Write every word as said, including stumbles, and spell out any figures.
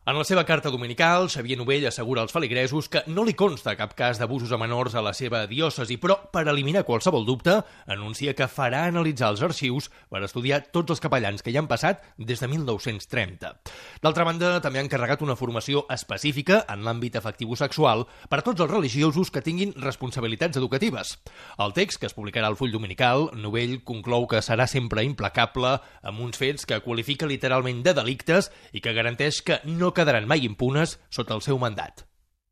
En la seva carta dominical, Xavier Novell assegura als feligresos que no li consta cap cas d'abusos a menors a la seva diòcesi, però per eliminar qualsevol dubte, anuncia que farà analitzar els arxius per estudiar tots els capellans que hi han passat des de mil nou-cents trenta. D'altra banda, també ha encarregat una formació específica en l'àmbit afectivo-sexual per a tots els religiosos que tinguin responsabilitats educatives. Al text, que es publicarà al Full Dominical, Novell conclou que serà sempre implacable amb uns fets que qualifica literalment de delictes i que garanteix que no quedaran mai impunes sota el seu mandat.